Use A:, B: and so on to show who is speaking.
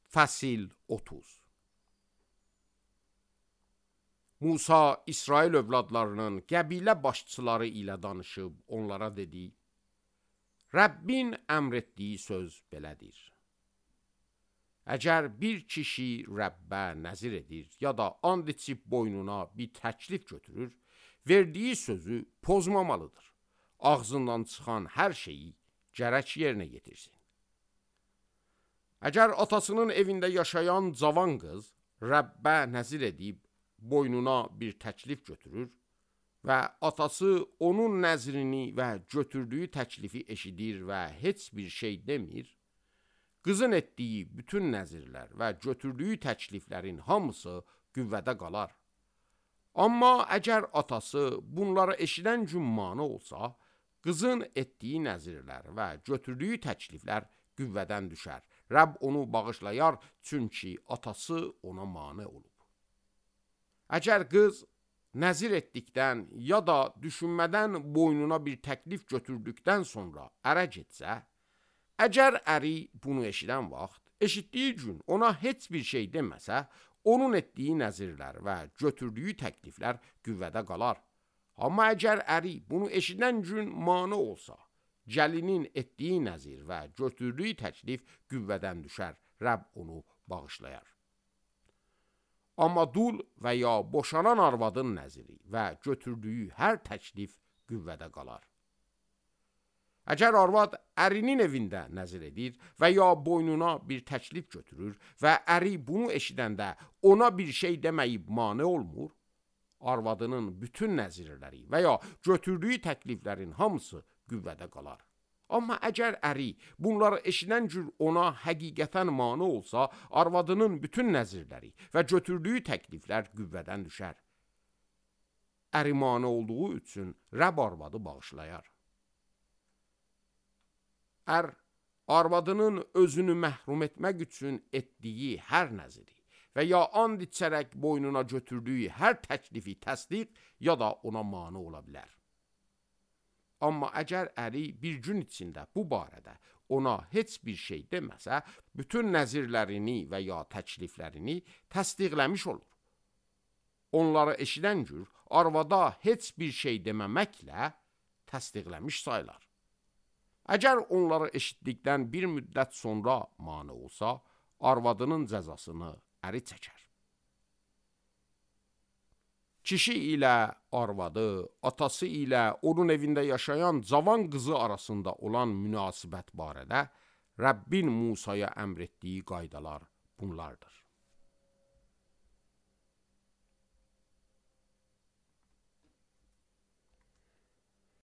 A: Fəsil 30. Musa İsrail övladlarının qəbilə başçıları ilə danışıb onlara dedi: Rəbbin əmr etdiyi söz belədir. Əgər bir kişi Rəbbə nəzir edir ya da and içib boynuna bir təklif götürür, verdiyi sözü pozmamalıdır. Ağzından çıxan hər şeyi gərək yerinə yetirsin. Əgər atasının evində yaşayan cavan qız Rəbbə nəzir edib boynuna bir təklif götürür və atası onun nəzrini və götürdüyü təklifi eşidir və heç bir şey demir, qızın etdiyi bütün nəzirlər və götürdüyü təkliflərin hamısı qüvvədə qalar. Amma əgər atası bunları eşidən gün mane olsa, qızın etdiyi nəzirlər və götürdüyü təkliflər qüvvədən düşər. Rəbb onu bağışlayar, çünki atası ona mane olub. Əgər qız nəzir etdikdən ya da düşünmədən boynuna bir təklif götürdükdən sonra ərə getsə, əgər əri bunu eşidən vaxt, eşitdiyi gün ona heç bir şey deməsə, onun etdiyi nəzirlər və götürdüyü təkliflər qüvvədə qalar. Amma əgər əri bunu eşidən gün mane olsa, gəlinin etdiyi nəzir və götürdüyü təklif qüvvədən düşər, Rəbb onu bağışlayar. Amma dul və ya boşanan arvadın nəziri və götürdüyü hər təklif qüvvədə qalar. Əgər arvad ərinin evində nəzir edir və ya boynuna bir təklif götürür və əri bunu eşidəndə ona bir şey deməyib mane olmur, arvadının bütün nəzirləri və ya götürdüyü təkliflərin hamısı qüvvədə qalar. Amma əgər əri bunları eşidən gün ona həqiqətən mane olsa, arvadının bütün nəzirləri və götürdüyü təkliflər qüvvədən düşər. Əri mane olduğu üçün Rəbb arvadı bağışlayar. Ər arvadının özünü məhrum etmək üçün etdiyi hər nəziri və ya and içərək boynuna götürdüyü hər təklifi təsdiq ya da ona mane ola bilər. Amma əgər əri bir gün içində bu barədə ona heç bir şey deməsə, bütün nəzirlərini və ya təkliflərini təsdiqləmiş olur. Onları eşidən gün arvada heç bir şey deməməklə təsdiqləmiş sayılar. Əgər onları eşitdikdən bir müddət sonra mane olsa, arvadının cəzasını əri çəkər. Kişi ilə arvadı, atası ilə onun evində yaşayan cavan qızı arasında olan münasibət barədə Rəbbin Musaya əmr etdiyi qaydalar bunlardır.